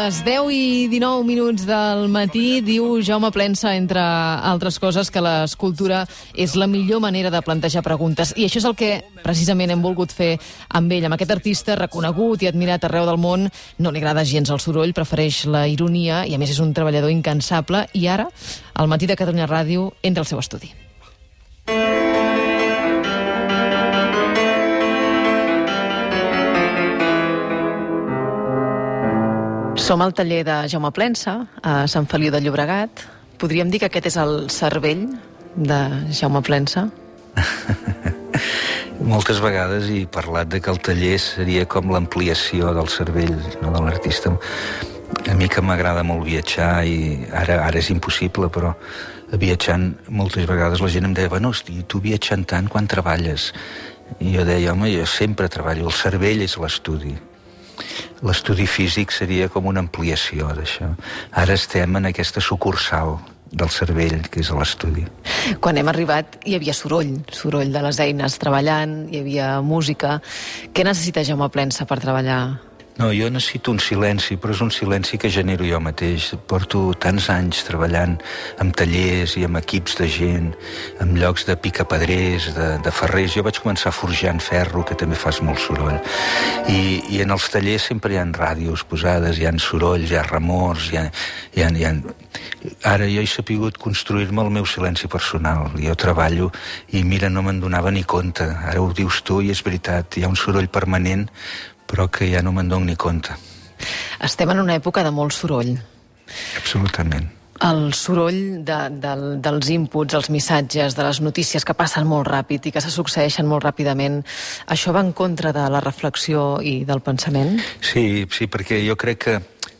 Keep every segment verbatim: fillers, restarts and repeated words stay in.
les deu i dinou minuts del matí diu Jaume Plensa, entre altres coses, que l'escultura és la millor manera de plantejar preguntes. I això és el que precisament hem volgut fer amb ell, amb aquest artista reconegut i admirat arreu del món. No li agrada gens el soroll, prefereix la ironia i a més és un treballador incansable. I ara, al Matí de Catalunya Ràdio, entra al seu estudi. Som al taller de Jaume Plensa, a Sant Feliu de Llobregat. Podríem dir que aquest és el cervell de Jaume Plensa? Moltes vegades he parlat de que el taller seria com l'ampliació del cervell, no, de l'artista. A mi que m'agrada molt viatjar i ara, ara és impossible, però viatjant moltes vegades la gent em deia, bueno, hosti, tu viatjant tant, quan treballes? I jo deia, home, jo sempre treballo, el cervell és l'estudi. L'estudi físic seria com una ampliació d'això. Ara estem en aquesta sucursal del cervell, que és l'estudi. Quan hem arribat hi havia soroll, soroll de les eines treballant, hi havia música. Què necessita Jaume Plensa per treballar? No, jo necessito un silenci, però és un silenci que genero jo mateix. Porto tants anys treballant amb tallers i amb equips de gent, amb llocs de picapedrers, de, de ferrers. Jo vaig començar forjant ferro, que també fas molt soroll. I, i en els tallers sempre hi ha ràdios posades, hi ha sorolls, hi ha remors, hi ha, hi ha, hi ha... Ara jo he sapigut construir-me el meu silenci personal. Jo treballo i mira, no me'n donava ni compte. Ara ho dius tu i és veritat, hi ha un soroll permanent, però que ja no me'n dono ni compte. Estem en una època de molt soroll. Absolutament. El soroll de, de, dels inputs, els missatges, de les notícies que passen molt ràpid i que se succeeixen molt ràpidament, això va en contra de la reflexió i del pensament? Sí, sí, perquè jo crec que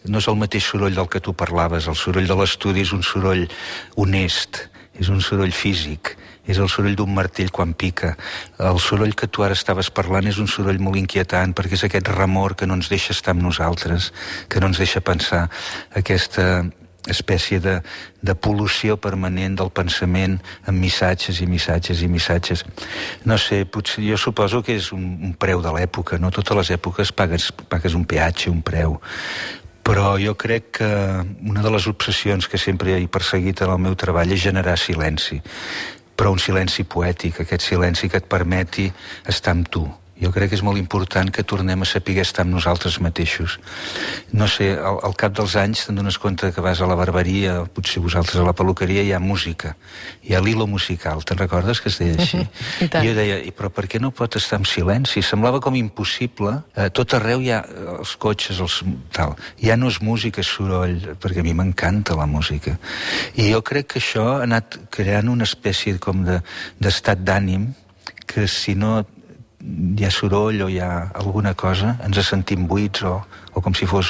no és el mateix soroll del que tu parlaves. El soroll de l'estudi és un soroll honest, és un soroll físic, és el soroll d'un martell quan pica. El soroll que tu ara estaves parlant és un soroll molt inquietant, perquè és aquest remor que no ens deixa estar amb nosaltres, que no ens deixa pensar, aquesta espècie de, de pol·lució permanent del pensament amb missatges i missatges i missatges. No sé, potser, jo suposo que és un, un preu de l'època, no? Totes les èpoques pagues, pagues un peatge, un preu. Però jo crec que una de les obsessions que sempre he perseguit en el meu treball és generar silenci, però un silenci poètic, aquest silenci que et permeti estar amb tu. Jo crec que és molt important que tornem a saber estar amb nosaltres mateixos. No sé, al, al cap dels anys te'n dones compte que vas a la barberia, potser vosaltres a la peluqueria, hi ha música, hi ha l'hilo musical, te'n recordes que es deia així? I jo deia, però per què no pot estar en silenci? Semblava com impossible. Eh, tot arreu hi ha els cotxes, els, tal. Ja no és música, és soroll, perquè a mi m'encanta la música. I jo crec que això ha anat creant una espècie com de, d'estat d'ànim que si no hi ha soroll o hi ha alguna cosa, ens sentim buits o, o com si fos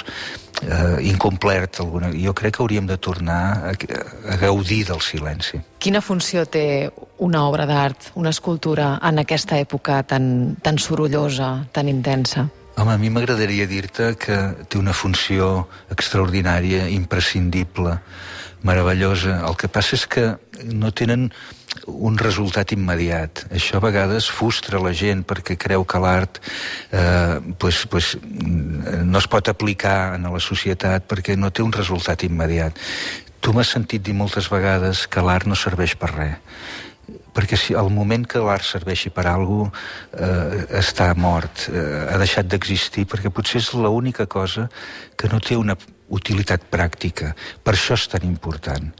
eh, incomplert. Alguna... Jo crec que hauríem de tornar a, a gaudir del silenci. Quina funció té una obra d'art, una escultura, en aquesta època tan, tan sorollosa, tan intensa? Home, a mi m'agradaria dir-te que té una funció extraordinària, imprescindible, meravellosa. El que passa és que no tenen un resultat immediat. Això a vegades frustra la gent perquè creu que l'art eh, pues, pues, no es pot aplicar a la societat perquè no té un resultat immediat. Tu m'has sentit dir moltes vegades que l'art no serveix per res, perquè si al moment que l'art serveixi per a alguna cosa eh, està mort, eh, ha deixat d'existir, perquè potser és l'única cosa que no té una utilitat pràctica. Per això és tan important.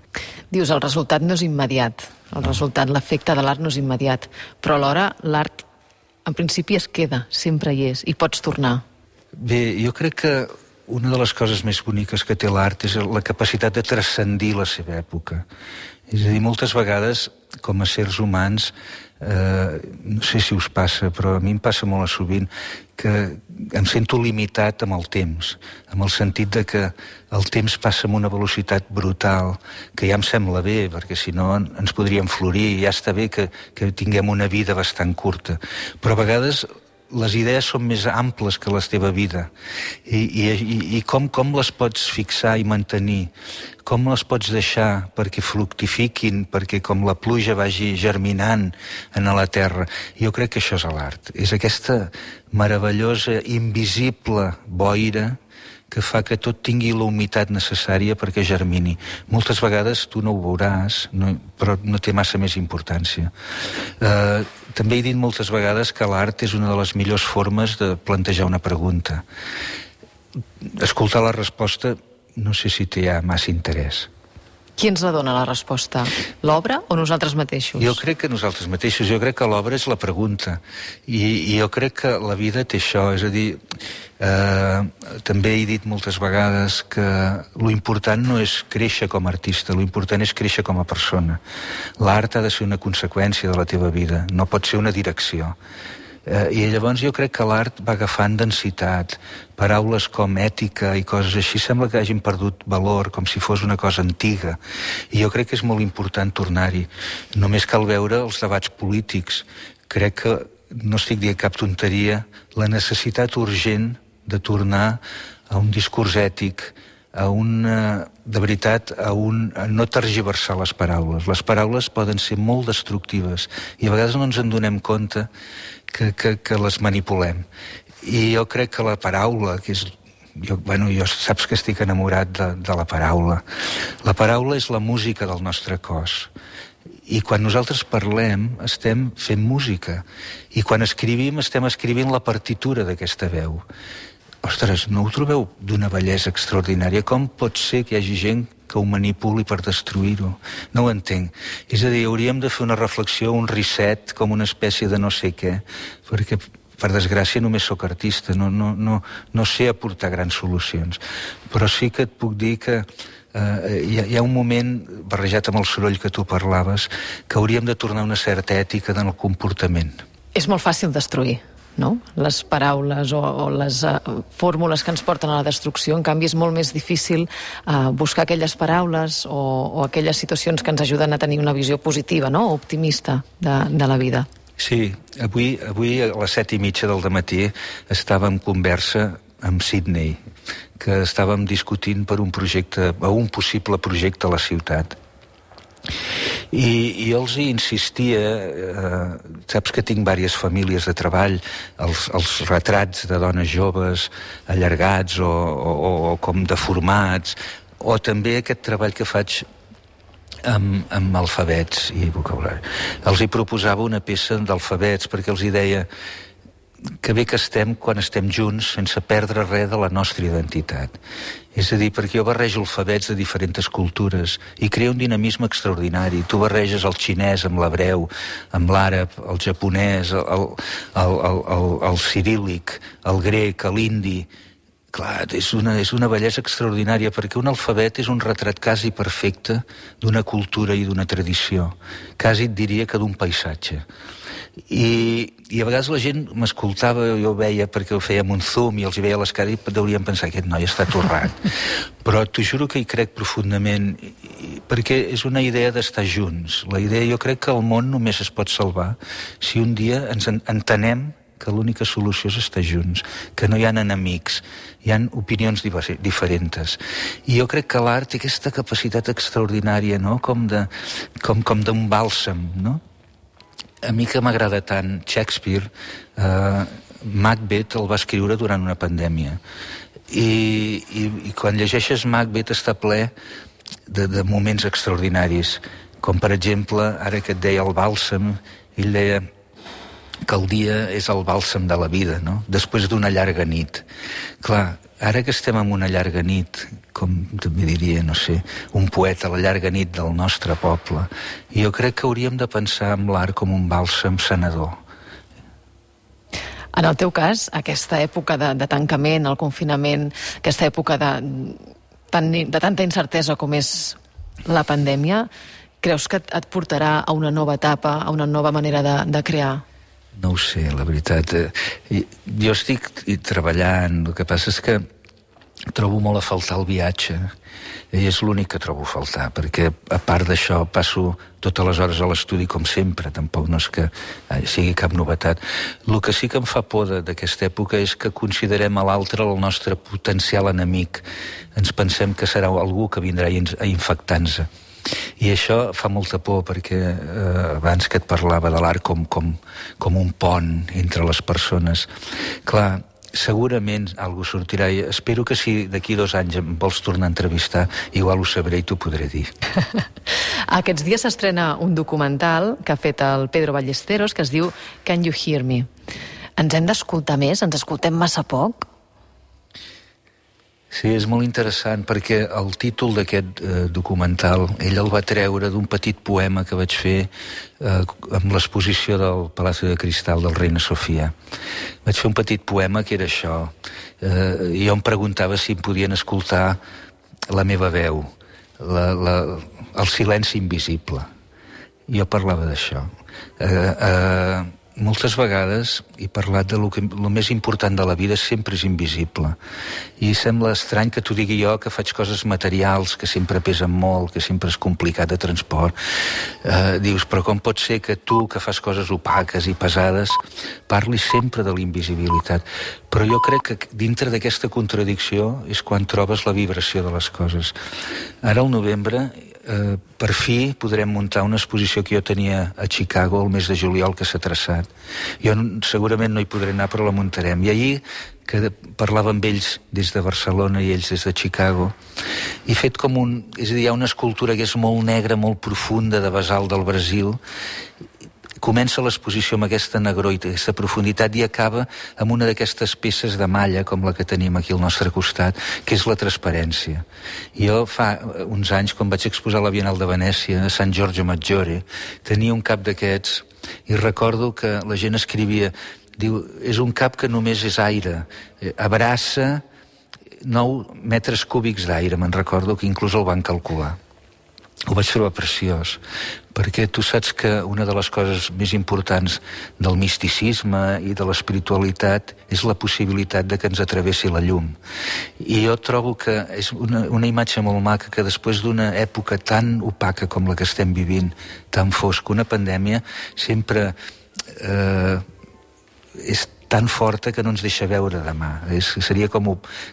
Dius, el resultat no és immediat. El no. resultat, l'efecte de l'art no és immediat. Però alhora l'art, en principi, es queda, sempre hi és, i pots tornar. Bé, jo crec que una de les coses més boniques que té l'art és la capacitat de transcendir la seva època. És a dir, moltes vegades, com a sers humans, eh, no sé si us passa, però a mi em passa molt sovint, que em sento limitat amb el temps, amb el sentit de que el temps passa amb una velocitat brutal, que ja em sembla bé, perquè si no ens podríem florir, ja està bé que, que tinguem una vida bastant curta. Però a vegades les idees són més amples que la teva vida. I, i, i com, com les pots fixar i mantenir? Com les pots deixar perquè fructifiquin, perquè com la pluja vagi germinant en la terra? Jo crec que això és l'art. És aquesta meravellosa, invisible boira que fa que tot tingui la humitat necessària perquè germini. Moltes vegades tu no ho veuràs, no, però no té massa més importància. Eh, també he dit moltes vegades que l'art és una de les millors formes de plantejar una pregunta. Escoltar la resposta no sé si té ja massa interès. Qui ens la dona, la resposta? L'obra o nosaltres mateixos? Jo crec que nosaltres mateixos. Jo crec que l'obra és la pregunta. I, i jo crec que la vida té això. És a dir, eh, també he dit moltes vegades que lo important no és créixer com a artista, lo important és créixer com a persona. L'art ha de ser una conseqüència de la teva vida, no pot ser una direcció. Eh, I llavors jo crec que l'art va agafant densitat. Paraules com ètica i coses així sembla que hagin perdut valor, com si fos una cosa antiga. I jo crec que és molt important tornar-hi. Només cal veure els debats polítics. Crec que, no estic dient cap tonteria, la necessitat urgent de tornar a un discurs ètic, a una, de veritat, a, un, a no tergiversar les paraules. Les paraules poden ser molt destructives i a vegades no ens en donem compte que, que, que les manipulem. I jo crec que la paraula, que és... Jo, bueno, jo saps que estic enamorat de, de la paraula. La paraula és la música del nostre cos. I quan nosaltres parlem, estem fent música. I quan escrivim, estem escrivint la partitura d'aquesta veu. Ostres, no ho trobeu d'una bellesa extraordinària? Com pot ser que hi hagi gent que ho manipuli per destruir-ho? No ho entenc. És a dir, hauríem de fer una reflexió, un reset, com una espècie de no sé què, perquè, per desgràcia, només sóc artista, no, no, no, no sé aportar grans solucions. Però sí que et puc dir que eh, hi, ha, hi ha un moment, barrejat amb el soroll que tu parlaves, que hauríem de tornar a una certa ètica en el comportament. És molt fàcil destruir, no? Les paraules o, o les uh, fórmules que ens porten a la destrucció. En canvi, és molt més difícil uh, buscar aquelles paraules o, o aquelles situacions que ens ajuden a tenir una visió positiva, no? Optimista de, de la vida. Sí, avui, avui a les set i mitja del dematí estàvem en conversa amb Sydney, que estàvem discutint per un projecte, o un possible projecte a la ciutat. I, i jo els hi insistia, eh, saps que tinc diverses famílies de treball, els, els retrats de dones joves allargats o, o, o com deformats, o també aquest treball que faig amb, amb alfabets i vocabulari. Els hi proposava una peça d'alfabets perquè els hi deia que bé que estem quan estem junts sense perdre res de la nostra identitat. És a dir, perquè jo barrejo alfabets de diferents cultures i crea un dinamisme extraordinari. Tu barreges el xinès amb l'hebreu, amb l'àrab, el japonès, el, el, el, el, el ciríl·lic, el grec, l'indi. Clar, és una, és una bellesa extraordinària perquè un alfabet és un retrat quasi perfecte d'una cultura i d'una tradició. Quasi et diria que d'un paisatge. I, i a vegades la gent m'escoltava, jo ho veia perquè ho fèiem un zoom i els hi veia les cares i deurien pensar aquest noi està torrat. Però t'ho juro que hi crec profundament perquè és una idea d'estar junts. La idea, jo crec que el món només es pot salvar si un dia ens entenem que l'única solució és estar junts, que no hi ha enemics, hi ha opinions diferents. I jo crec que l'art té aquesta capacitat extraordinària, no? Com de, com, com d'un bàlsam, no? A mi que m'agrada tant Shakespeare, eh, Macbeth el va escriure durant una pandèmia. I, i, i quan llegeixes Macbeth està ple de, de moments extraordinaris, com per exemple, ara que et deia el bàlsam, ell deia que el dia és el bàlsam de la vida, no? Després d'una llarga nit. Clar, ara que estem en una llarga nit, com també diria, no sé, un poeta, la llarga nit del nostre poble, jo crec que hauríem de pensar en l'art com un bàlsam sanador. En el teu cas, aquesta època de, de tancament, el confinament, aquesta època de, tan, de tanta incertesa com és la pandèmia, creus que et, et portarà a una nova etapa, a una nova manera de, de crear? No ho sé, la veritat. Jo estic treballant, el que passa és que trobo molt a faltar el viatge, i és l'únic que trobo a faltar, perquè a part d'això passo totes les hores a l'estudi com sempre, tampoc no és que sigui cap novetat. El que sí que em fa por d'aquesta època és que considerem a l'altre el nostre potencial enemic. Ens pensem que serà algú que vindrà a infectar-nos. I això fa molta por perquè eh, abans que et parlava de l'art com, com, com un pont entre les persones. Clar, segurament algú sortirà. I espero que si d'aquí dos anys em vols tornar a entrevistar, igual ho sabré i t'ho podré dir. Aquests dies s'estrena un documental que ha fet el Pedro Ballesteros que es diu Can You Hear Me? Ens hem d'escoltar més? Ens escoltem massa poc? Sí, és molt interessant perquè el títol d'aquest eh, documental ell el va treure d'un petit poema que vaig fer eh, amb l'exposició del Palacio de Cristal del Reina Sofia. Vaig fer un petit poema que era això. Eh, jo em preguntava si em podien escoltar la meva veu, la, la, el silenci invisible. Jo parlava d'això. Eh, eh, moltes vegades he parlat de lo que lo més important de la vida sempre és invisible. I sembla estrany que t'ho digui jo, que faig coses materials, que sempre pesen molt, que sempre és complicat de transport. Eh, dius, però com pot ser que tu, que fas coses opaques i pesades, parlis sempre de la invisibilitat? Però jo crec que dintre d'aquesta contradicció és quan trobes la vibració de les coses. Ara al novembre, eh, per fi podrem muntar una exposició que jo tenia a Chicago el mes de juliol que s'ha traçat. Jo segurament no hi podré anar, però la muntarem. I ahir, que parlava amb ells des de Barcelona i ells des de Chicago, he fet com un... És a dir, hi ha una escultura que és molt negra, molt profunda, de basalt del Brasil. Comença l'exposició amb aquesta negror i aquesta profunditat i acaba amb una d'aquestes peces de malla, com la que tenim aquí al nostre costat, que és la transparència. Jo fa uns anys, quan vaig exposar a la Bienal de Venècia, a Sant Giorgio Maggiore, tenia un cap d'aquests i recordo que la gent escrivia, diu, és un cap que només és aire, abraça nou metres cúbics d'aire, me'n recordo que inclús el van calcular. Ho vaig trobar preciós, perquè tu saps que una de les coses més importants del misticisme i de l'espiritualitat és la possibilitat de que ens atravessi la llum. I jo trobo que és una, una imatge molt maca que després d'una època tan opaca com la que estem vivint, tan fosca, una pandèmia, sempre eh, és tan forta que no ens deixa veure demà. És, seria com,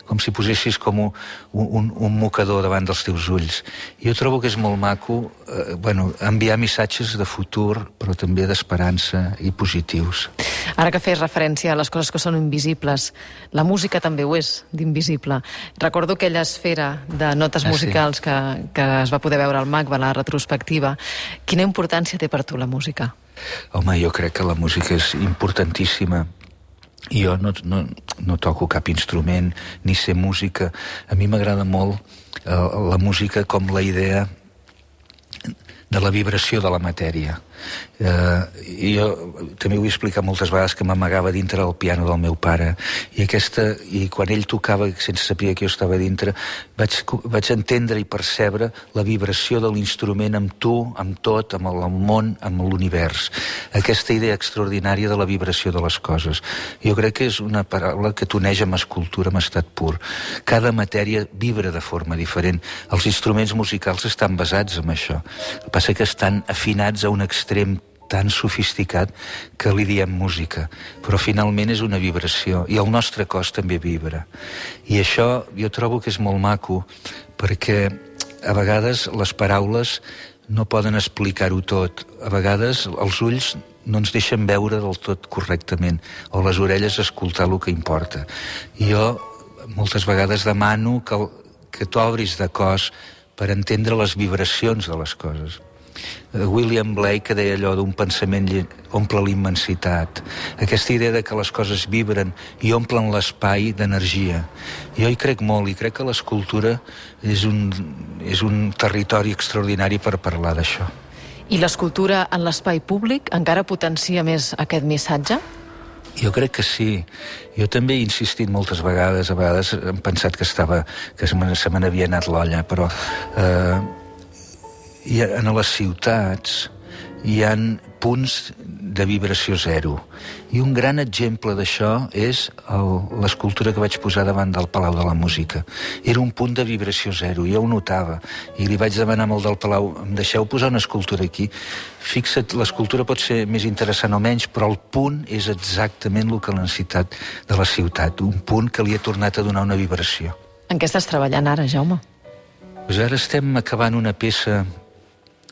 com si posessis com un, un, un mocador davant dels teus ulls. Jo trobo que és molt maco eh, bueno, enviar missatges de futur, però també d'esperança i positius. Ara que fes referència a les coses que són invisibles, la música també ho és, d'invisible. Recordo aquella esfera de notes ah, musicals sí. que, que es va poder veure al M A C B, a la retrospectiva. Quina importància té per tu la música? Home, jo crec que la música és importantíssima. Jo no, no, no toco cap instrument, ni sé música. A mi m'agrada molt eh, la música com la idea de la vibració de la matèria. Eh, i jo també ho he explicat moltes vegades que m'amagava dintre del piano del meu pare i, aquesta, i quan ell tocava sense saber que jo estava dintre vaig, vaig entendre i percebre la vibració de l'instrument amb tu, amb tot, amb el món, amb l'univers, aquesta idea extraordinària de la vibració de les coses. Jo crec que és una paraula que t'uneix amb escultura, amb estat pur. Cada matèria vibra de forma diferent. Els instruments musicals estan basats en això. El que passa que estan afinats a un extrem tan sofisticat que li diem música, però finalment és una vibració i el nostre cos també vibra. I això jo trobo que és molt maco perquè a vegades les paraules no poden explicar-ho tot. A vegades els ulls no ens deixen veure del tot correctament o les orelles escoltar el que importa. I jo moltes vegades demano que, que t'obris de cos per entendre les vibracions de les coses. William Blake que deia allò d'un pensament omple l'immensitat, aquesta idea de que les coses vibren i omplen l'espai d'energia. Jo hi crec molt i crec que l'escultura és un, és un territori extraordinari per parlar d'això. I l'escultura en l'espai públic encara potencia més aquest missatge? Jo crec que sí. Jo també he insistit moltes vegades, a vegades hem pensat que estava, que se me n'havia anat l'olla, però eh, i en les ciutats hi ha punts de vibració zero. I un gran exemple d'això és l'escultura que vaig posar davant del Palau de la Música. Era un punt de vibració zero, jo ho notava. I li vaig demanar amb el del Palau, em deixeu posar una escultura aquí? Fixa't, l'escultura pot ser més interessant o menys, però el punt és exactament el que l'ha necessitat de la ciutat. Un punt que li ha tornat a donar una vibració. En què estàs treballant ara, Jaume? Pues ara estem acabant una peça,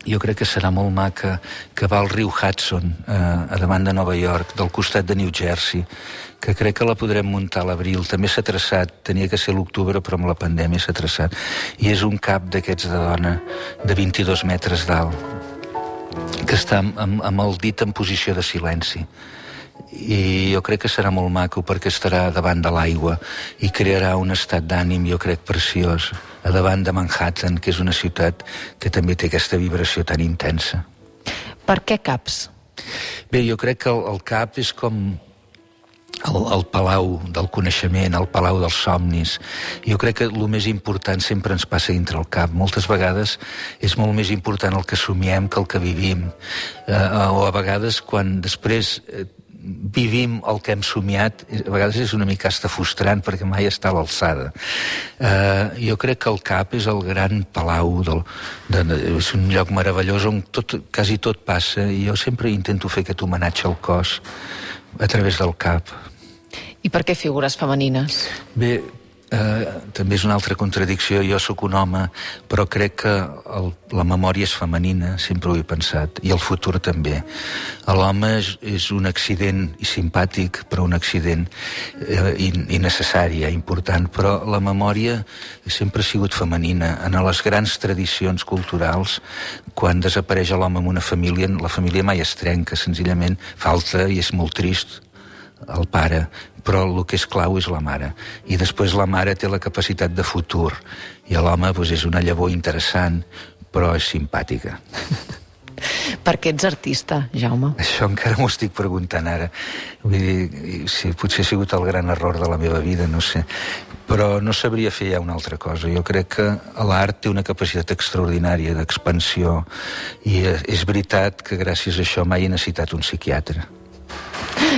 jo crec que serà molt maca, que va al riu Hudson, eh, a davant de Nova York, del costat de New Jersey, que crec que la podrem muntar a l'abril. També s'ha traçat, tenia que ser l'octubre, però amb la pandèmia s'ha traçat. I és un cap d'aquests de dona de vint-i-dos metres d'alt, que està amb, amb el dit en posició de silenci. I jo crec que serà molt maco perquè estarà davant de l'aigua i crearà un estat d'ànim, jo crec, preciós, a davant de Manhattan, que és una ciutat que també té aquesta vibració tan intensa. Per què caps? Bé, jo crec que el, el cap és com el, el palau del coneixement, el palau dels somnis. Jo crec que el més important sempre ens passa dintre el cap. Moltes vegades és molt més important el que somiem que el que vivim. Eh, o a vegades, quan després eh, vivim el que hem somiat, a vegades és una mica hasta frustrant perquè mai està a l'alçada. Uh, jo crec que el cap és el gran palau, del, de, de, és un lloc meravellós on tot, quasi tot passa, i jo sempre intento fer aquest homenatge al cos a través del cap. I per què figures femenines? Bé, Uh, també és una altra contradicció. Jo sóc un home, però crec que el, la memòria és femenina, sempre ho he pensat, i el futur també. L'home és, és un accident i simpàtic, però un accident uh, innecessari, eh, important, però la memòria sempre ha sigut femenina. En les grans tradicions culturals, quan desapareix l'home en una família, la família mai es trenca, senzillament falta, i és molt trist, el pare, però el que és clau és la mare. I després la mare té la capacitat de futur, i l'home doncs, és una llavor interessant, però és simpàtica. Per què ets artista, Jaume? Això encara m'ho estic preguntant ara. Vull dir, sí, potser ha sigut el gran error de la meva vida, no sé. Però no sabria fer ja una altra cosa. Jo crec que l'art té una capacitat extraordinària d'expansió, i és veritat que gràcies a això mai he necessitat un psiquiatre.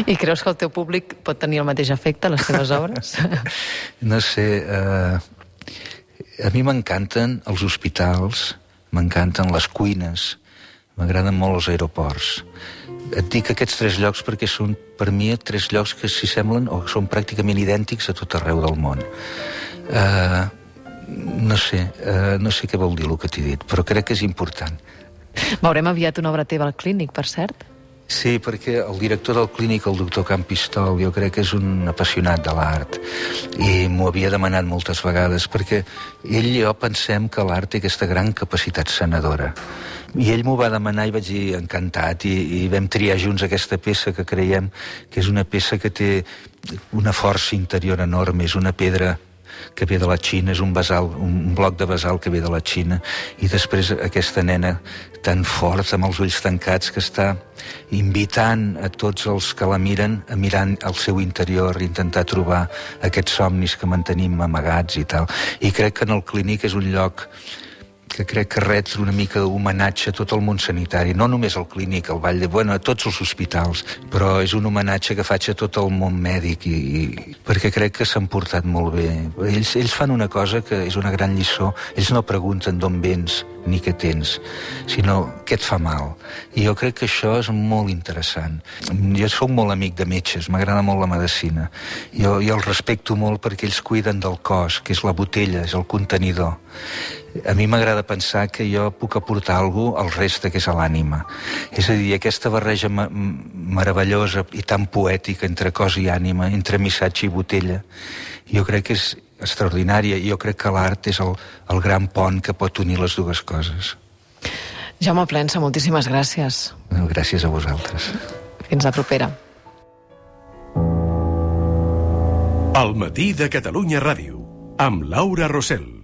I creus que el teu públic pot tenir el mateix efecte a les teves obres? No sé, eh, a mi m'encanten els hospitals, m'encanten les cuines, m'agraden molt els aeroports. Et dic aquests tres llocs perquè són, per mi, tres llocs que s'hi semblen o són pràcticament idèntics a tot arreu del món. Eh, no sé, eh, no sé què vol dir el que t'he dit, però crec que és important. Veurem aviat una obra teva al Clínic, per cert? Sí, perquè el director del Clínic, el doctor Campistol, jo crec que és un apassionat de l'art, i m'ho havia demanat moltes vegades, perquè ell i jo pensem que l'art té aquesta gran capacitat sanadora. I ell m'ho va demanar i vaig dir encantat, i, i vam triar junts aquesta peça que creiem que és una peça que té una força interior enorme, és una pedra que ve de la Xina, és un basalt, un bloc de basalt que ve de la Xina, i després aquesta nena tan forta, amb els ulls tancats, que està invitant a tots els que la miren a mirar al seu interior, intentar trobar aquests somnis que mantenim amagats i tal. I crec que en el Clínic és un lloc que crec que ret una mica d'homenatge a tot el món sanitari, no només al Clínic, al Vall de... Bueno, a tots els hospitals, però és un homenatge que faig a tot el món mèdic, i, i perquè crec que s'han portat molt bé. Ells, ells fan una cosa que és una gran lliçó. Ells no pregunten d'on vens ni què tens, sinó què et fa mal. I jo crec que això és molt interessant. Jo soc molt amic de metges, m'agrada molt la medicina. Jo, jo els respecto molt perquè ells cuiden del cos, que és la botella, és el contenidor. A mi m'agrada pensar que jo puc aportar alguna cosa al reste, que és a l'ànima. És a dir, aquesta barreja ma meravellosa i tan poètica entre cos i ànima, entre missatge i botella, jo crec que és extraordinària, i jo crec que l'art és el, el gran pont que pot unir les dues coses. Jaume Plensa, moltíssimes gràcies. Gràcies a vosaltres. Fins la propera. El matí de Catalunya Ràdio, amb Laura Rossell.